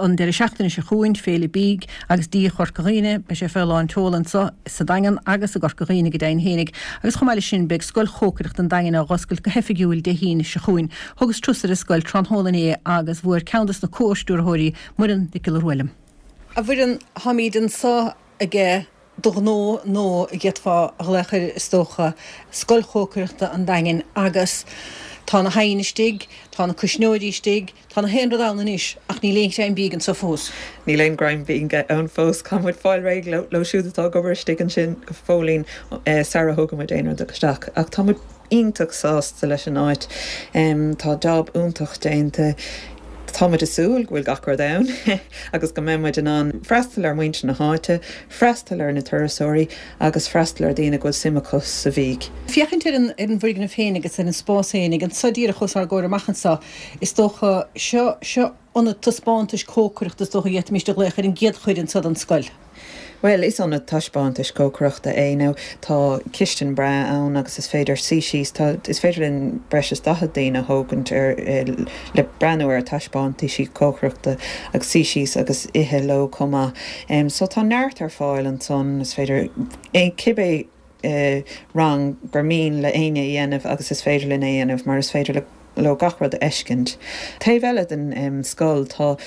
an deireadh seachtaine seo chugainn, Féile Bídh agus Dí Chorca Dhuibhne. Beidh sé fé lán tseoil anso sa Daingean agus i gCorca Dhuibhne go deimhin fhéinig. Agus chomh maith leis sin beidh Scoil Chócaireachta an Daingin á dh'oscailt go hoifigiúil Dé hAoine seo chugainn. Thugas turas ar an scoil tráthnóna inné agus bhuail ceann dos na comh-stiúrthóirí, Muireann Nic Giolla Rua liom. A Mhuireann, táimíd anso aige do ghnó nó a d'fhéadfá a ghlaoch air is dócha, Scoil Chócaireachta an Daingin agus tá na hoighinn istigh, tá na cuisneoirí istigh, tá na haon rud ann anois ach níl aon ghreim bídh anso fós. Níl aon ghreim bídh ann fós. Caithfidh muid fáil réidh leo siúd atá ag obair istigh ansin go fóillín sara thógann muid aon rud isteach. Ach tá muid iontach sásta leis an áit. Tá jab iontach déanta. Tá muid ag súil go bhfuil gach rud ann agus go mbeidh muid in ann freastal ar mhuintir na háite, freastal ar na turasóirí agus freastal ar daoine go bhfuil suim acu sa bhídh. Féachaint ar an ar an bhfoirgneamh féin agus ar an spás féinig anso díreach os ár gcomhair amach anso, is dócha, seo, seo ionad taispeántais cócaireachta is dócha a d'fhéadfaimis a ghlaoch ar an gcéad chuid anso den scoil. Bhuel, is ionad taispeántais cócaireachta é. Now, tá cistin breá ann agus is féidir suí síos, tá, is féidir linn breis is 40 daoine a thógaint ar, le breathnú ar taispeántaisí cócaireachta agus suí síos agus ithe leo chomh maith. So tá neart ar fáil ansan, is féidir cibé rang gur mian le éinne a dhéanamh agus is féidir linn é a dhéanamh mar is féidir le leo gach rud a fheiscint. Taobh eile den scoil tá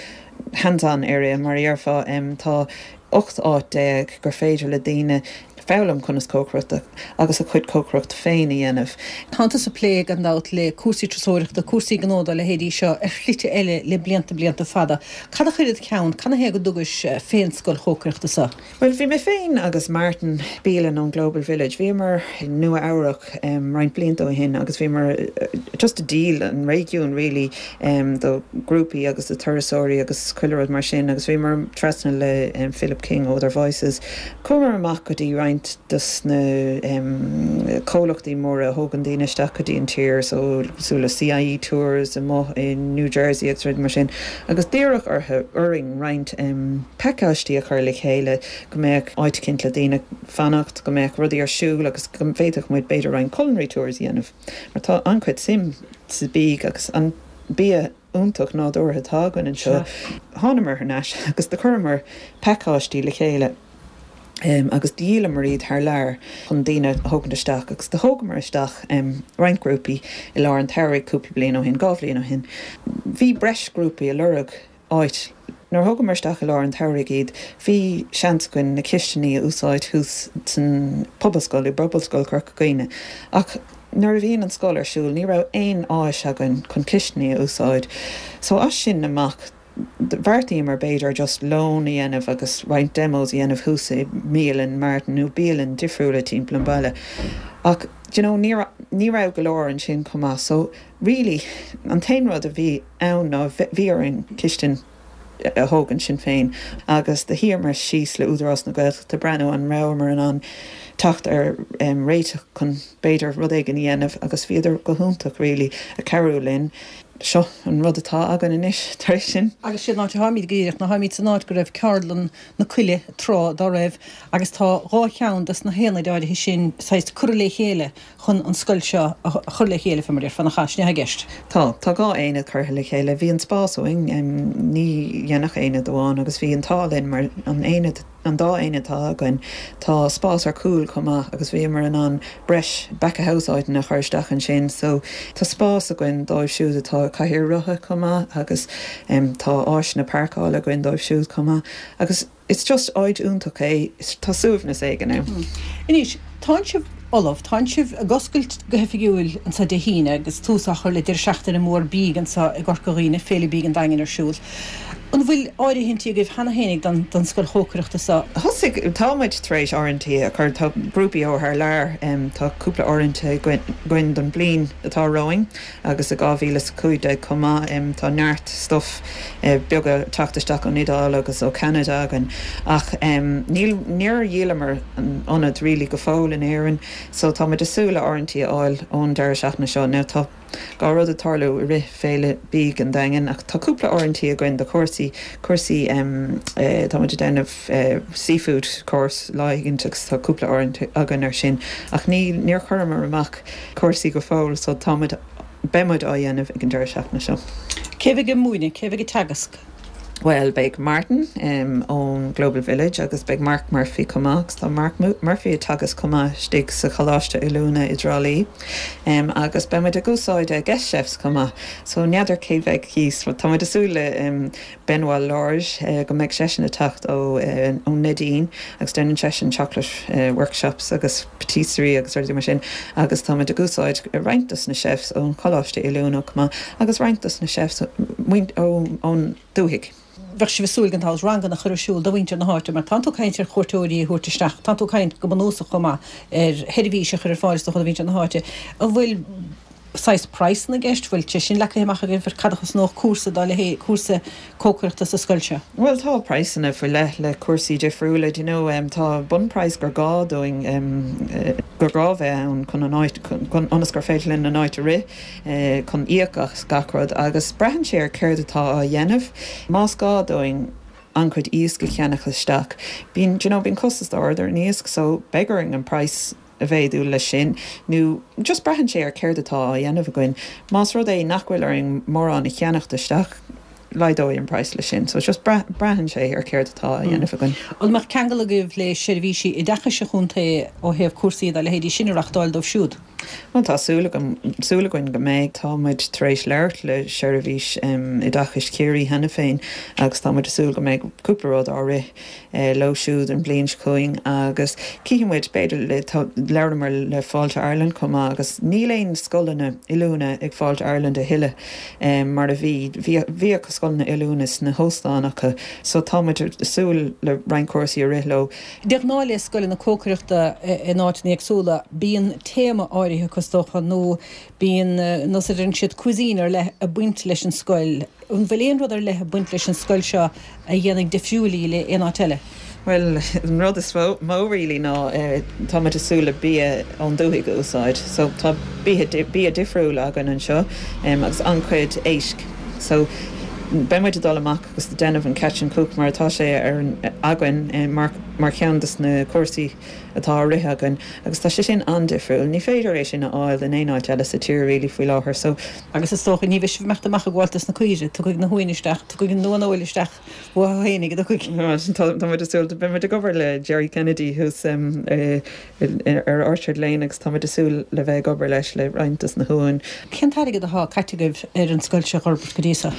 hands-on area mar a dhéarfá, tá 18 áit gur féidir le daoine foghlaim conas cócaireacht agus a chuid cócaireacht féin a dhéanamh. Tánn tusa ag plé gan dabht le cúrsaí turasóireachta, cúrsaí gnó dá leithéidí seo ar shlite eile le blianta blianta fada. Cad a chuir id cheann, canathaobh go dtugais fén scoil chócaireachta seo? Bhuel, bhí mé féin agus Martin Bealin ón Global Village, bhíomar i Nua Eabhrac roinnt blianta ó shin agus bhíomar just ag díol an réigiún really do grúpaí agus do turasóirí agus chuile rud mar sin agus bhíomar trasna le Philip King ó Other Voices. Chuamar amach go dtí roinnt dos na comhlachtaí móra a thógann daoine isteach go dtí an tír so cosúil le CIE Tours amuigh i New Jersey agus rudaí mar sin agus d'iarradh orthu, orainn roinnt pacáistí a chur le chéile, go mbeadh áit eicínt le daoine fanacht, go mbeadh rudaí ar siúl agus go bhféadfadh muid b'fhéidir roinnt culinary tours a dhéanamh mar tá an-chuid suim sa bídh agus an bia iontach nádúrtha atá againn anseo. Thánamar thar n-ais agus do chuireamar pacáistí le chéile agus dhíolamar iad thar lear chun daoine a thógaint isteach agus do thógamar isteach roinnt grúpaí i lár an tsamhraidh cúpla bliain ó shin, 2 bhliain ó shin. Bhí breis grúpaí ag lorg áit. Nuair a thógamar isteach i lár an tsamhraidh iad, bhí seans againn na cistiní a úsáid thuas san Pobalscoil, i bPobalscoil Chorca Dhuibhne. Ach nuair a bhíonn an scoil ar siúl, ní raibh aon áis againn chun cistiní a úsáid. So as sin amach, bheartaíomar b'fhéidir just lón a dhéanamh agus roinnt demos a dhéanamh thuas i mbialann Martin nó bialann difriúla timpeall an bhaile. Ach, do you know, ní raibh, ní raibh go leor ansin chomh maith. So really, an t-aon rud a bhí. ann ná bhí orainn cistin a thógaint sinn féin agus do shuíomar síos le Údarás na Gaeltachta breathnú an rabhamar in ann teacht ar réiteach chun b'fhéidir rud éigin a dhéanamh agus bhíodar go hiontach really ag cabhrú linn. Seo an rud atá againn anois tar éis sin. Agus sé an áit a tháimid go díreach ná tháimid san áit go raibh ceardlann na Coille tráth dá raibh agus tá 2 cheann des na haonaid áirithe sin saghas curtha le chéile chun an scoil seo a chur le chéile, fé mar a déarfá, nach ea? Sin é atá i gceist. Tá. Tá 2 aonad curtha le chéile. Bhí an spás uainn, ní dhéanfadh aonad amháin agus bhí an t-ádh linn mar an aonad, an dá aonad atá againn, tá spás ar cúl chomh maith agus bhíomar in ann breis back of house áiteanna a chur isteach ansin so tá spás againn dóibh siúd atá i gcathaoir rotha chomh maith agus tá áiseanna páirceála againn dóibh siúd chomh maith agus It's just áit iontach é, tá suaimhneas éigin ann. Anois, tánn sibh ullamh, tánn sibh ag oscailt go hoifigiúil anso Dé hAoine agus tús á chur le deireadh seachtaine mór bídh anso i gCorca Dhuibhne, Féile Bídh an Daingin ar siúl. An bhfuil áirithintí agaibh cheana fhéinig don don scoil chócaireachta so? Thosaigh, tá muid tar éis áirithintí a chur, tá grúpaí ó thar lear, tá cúpla áirithinte againn don bliain atá romhainn. Agus i 2015 chomh maith, tá neart stuif beaga ag teacht isteach ón Iodáil agus ó Cheanada againn. Ach níl, níor dhíolamar an ionad really go fóill in Éirinn, so tá muid ag súil le áirithintí a fháil ón deireadh seachtaine seo. Now tá dhá rud ag tarlú i rith Féile Bídh an Daingin ach tá cúpla áirithintí againn do chúrsaí, cúrsaí, tá muid ag déanamh seafood course lá éigint agus tá cúpla áirithint againn ar sin ach ní, níor chuireamar amach cúrsaí go fóill so tá muid, beidh muid á dhéanamh ag an deireadh seachtaine seo. Cé bheidh ag múineadh? Cé bheidh ag teagasc? Bhuel, beidh Martin ón Global Village agus beidh Mark Murphy chomh maith agus tá Mark Murphy ag teagasc chomh maith istigh sa Choláiste Oiliúna i dTrá Lí. Agus beidh muid ag úsáid guest chefs chomh maith. So n'fheadar cé bheidh thíos. Tá muid ag súil le Benoit Lorge go mbeidh seisean ag teacht ó Neidín agus déanann seisean chocolate workshops agus patisserie agus rudaí mar sin agus tá muid ag úsáid roinnt dos na chefs ón Choláiste Oiliúna chomh maith agus roinnt dos na chefs ón dúthaigh. Bheadh sibh ag súil gan dabht ranganna a chur ar siúl do mhuintir na háite mar tánn tú ag caint ar chuairteoirí a thabhairt isteach, tánn tú ag caint go bunúsach chomh maith ar sheirbhís a chur ar fáil is dócha do mhuintir na háite. An bhfuil saghas praghsanna i gceist? Bhfuil sé sin leagtha amach agaibh ar cad a chosnódh cúrsa dá leithéid, cúrsa cócaireachta sa scoil seo? Bhuel tá praghsanna faoi leith le cúrsaí difriúla, do you know tá bunphraghas gur gá dúinn, gur gá bheith ann chun an áit, chun, ionas gur féidir linn an áit a rith. chun íoc as gach rud agus braitheann sé ar céard atá á dhéanamh. Más gá dúinn an-chuid iasc a cheannach isteach, bíonn, do you know, bíonn costas ard ar an iasc so beidh orainn an praghas a mhéadú leis sin nó just braitheann sé ar céard atá á dhéanamh againn. Más rud é nach bhfuil orainn mórán a cheannacht isteach, laghdóidh an praghas leis sin. So just braitheann sé ar céard atá á dhéanamh againn. An mbeadh ceangal agaibh le seirbhísí oideachais an chontae ó thaobh cúrsaí dá leithéidí sin a reachtáil dóibh siúd? Bhuel tá súil agam, súil againn go mbeidh. Tá muid tar éis labhairt le Seirbhís Oideachais Chiarraí cheana féin agus tá muid ag súil go mbeidh cúpla rud á rith leo siúd an bhliain seo chugainn agus cífidh muid, b'fhéidir le, tá, labhramar le Fáilte Ireland chomh maith agus níl aon scoileanna oiliúna ag Fáilte Ireland a thuilleadh mar a bhí, bhí, bhíodh scoileanna oiliúna sna hóstáin acu so tá muid ag súil le roinnt cúrsaí a rith leo. De ghnáth le scoileanna cócaireachta in áiteanna éagsúla, bíonn téama áirithe acu is dócha, nó bíonn, nós a deireann siad, cuisine ar leith ag baint leis an scoil. An bhfuil aon rud ar leith ag baint leis an scoil seo a dhéanfaidh difriúil í le aon áit eile? Bhuel, an rud is mó really ná tá muid ag súil le bia ón dúthaigh a úsáid. So tá bia difriúil againn anseo agus an-chuid éisc. So beidh muid ag dul amach agus ag déanamh an catch and cook mar atá sé ar againn mar mar cheann des na cúrsaí atá á rith againn agus tá sé sin an-difriúil. Ní féidir é sin a fháil in aon áit eile sa tír really faoi láthair so. Agus is dócha ní bheidh sibh ag imeacht amach ag gabháil dos na caoirigh, tiocfaidh na huain isteach, tiocfaidh an uaineoil isteach uathu fhéinig, an dtiocfaidh? Tá muid ag súil, beidh muid ag obair le Jerry Kennedy thuas ar Orchard Lane agus táimid ag súil le bheith ag obair leis le roinnt dos na huain. Cén t-airgead atá caite agaibh ar an scoil seo a fhorbairt go dtí seo?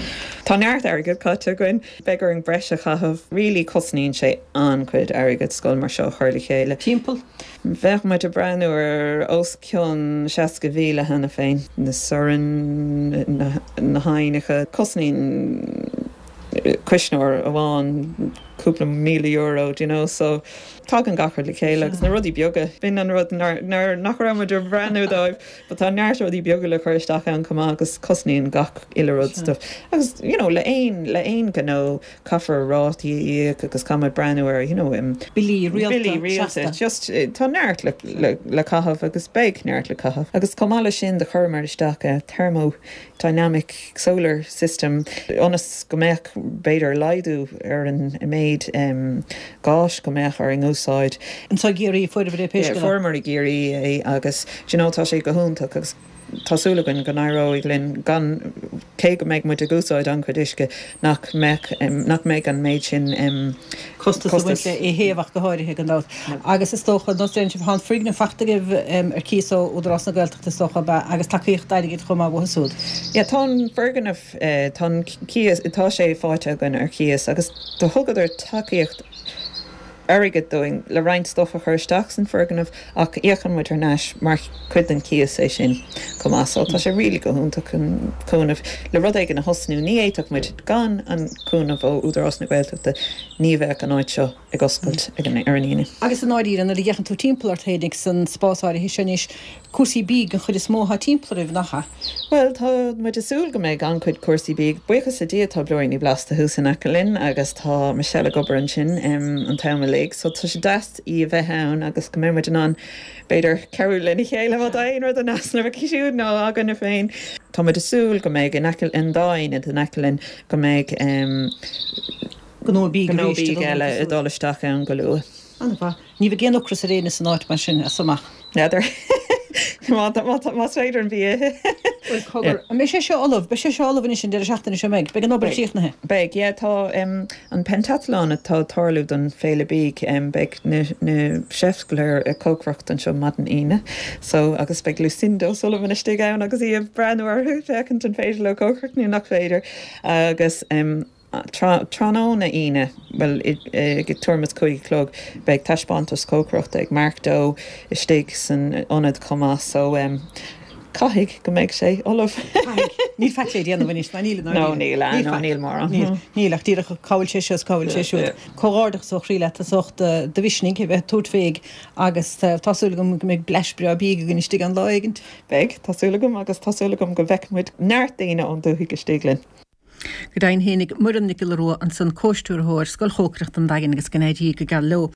Tá neart airgead caite againn. Beidh orainn breis a chaitheamh. Really cosnaíonn sé an-chuid airgead scoil mar seo a chur le chéile. Timpeall? Bheadh muid ag breathnú ar os cionn 60,000 cheana féin. Na soirn, na hoighneacha, cosnaíonn cuisneoir amháin cúpla €1,000, do you know, so tagann gach rud le chéile agus na rudaí beaga, b'in an rud nár, nár, nach raibh muid ag breathnú dóibh, but tá neart rudaí beaga le cur isteach ann chomh maith agus cosnaíonn gach uile rud stuff. Agus, you know, le aon, le aon ghnó caithfear rátaí a íoc agus caithfidh muid breathnú ar, you know, Billí rialta, billí rialta, seasta. just tá neart le, le, le caitheamh agus beidh neart le caitheamh. Agus chomh maith leis sin do chuireamar isteach thermo dynamic solar system ionas go mbeadh, b'fhéidir, laghdú ar an méid gáis go mbeadh orainn úsáid. Anseo i gCiarraí a fuaireabhair é pé scéal é. Fuaireamar i gCiarraí é agus do you know tá sé go hiontach agus tá súil againn go n-éireoidh linn gan, cé go mbeidh muid ag úsáid an-chuid uisce, nach mbeadh, nach mbeidh an méid sin costas ag baint le é a théamh ach go háirithe, gan dabht. Agus is dócha, nós deireann sibh, tá an foirgneamh faighte agaibh ar cíos ó Údarás na Gaeltachta is dócha, ab ea, agus tacaíocht airgid chomh maith uathu siúd. Yeah, tá an foirgneamh, tá an cíos, tá sé faighte againn ar cíos agus do thugadar tacaíocht airgid dúinn le roinnt stuff a chur isteach san foirgneamh ach íocann muid thar n-ais mar chuid den cíos é sin chomh maith so tá sé really go hiontach an cúnamh le rud éigin a thosnú ní fhéadfadh muid gan an cúnamh ó Údarás na Gaeltachta ní bheadh an áit seo ag oscailt ag an ar an Aoine. Agus i ndáiríre nuair a fhéachann tú timpeall ort féinig san spás áirithe seo anois Cúrsaí bídh den chuid is mó atá timpeall oraibh, nach ea? Bhuel, tá muid ag súil go mbeidh an-chuid cúrsaí bídh. Buíochas le Dia tá Blúiríní Blasta thuas in aice linn agus tá Michelle ag obair ansin an t-am uilig so tá sé deas í a bheith ann agus go mbeidh muid in ann b'fhéidir cabhrú lena chéile má tá aon rud in easnamh aici siúd nó againne féin. Tá muid ag súil go mbeidh in aice, an dá aonad in aice linn, go mbeidh gnó bídh gnó bídh eile ag dul isteach ann go luath. An-mhaith. Ní bheidh aon ocras ar éinne san áit mar sin as seo amach. N'fheadar. Más féidir an bia a ithe. Bhuel, cogar, an mbeidh sé seo ullamh? Beidh sé seo ullamh anois an deireadh seachtaine seo, an mbeidh? Beidh an obair críochnaithe? Beidh, yeah, tá an pentathlon atá ag tarlú don Féile Bídh, beidh na na chefs go léir ag cócaireacht anseo maidin Aoine, so, agus beidh Lucinda O'Sullivan istigh ann agus í ag breathnú orthu, féachaint an féidir leo cócaireacht nó nach féidir, agus. Tráthnóna Aoine, bhuel, ag tuairim is 5 a chlog, beidh taispeántas cócaireachta ag Mark Doe istigh san ionad chomh maith, so caithfidh go mbeidh sé ullamh. Caithfidh. Níl faic le déanamh anois, ná níl i ndáiríre. No, níl, ah, no, níl mórán. Níl, níl, ach díreach cá bhfuil sé seo is cá bhfuil sé siúd. Comhghairdeachas ó chroí leat as ucht do mhisnigh a bheith ag tabhairt fé agus tá súil agam go mbeidh blais breá bídh againn istigh ann lá éigint. Beidh, tá súil agam, agus tá súil agam go bhfeicfidh muid neart daoine ón dúthaigh istigh linn. Go deimhin fhéinig, Muireann Nic Giolla Rua ansan, Comhstiúrthóir Scoil Chócaireachta an Daingin agus go n-éirí go geal leo.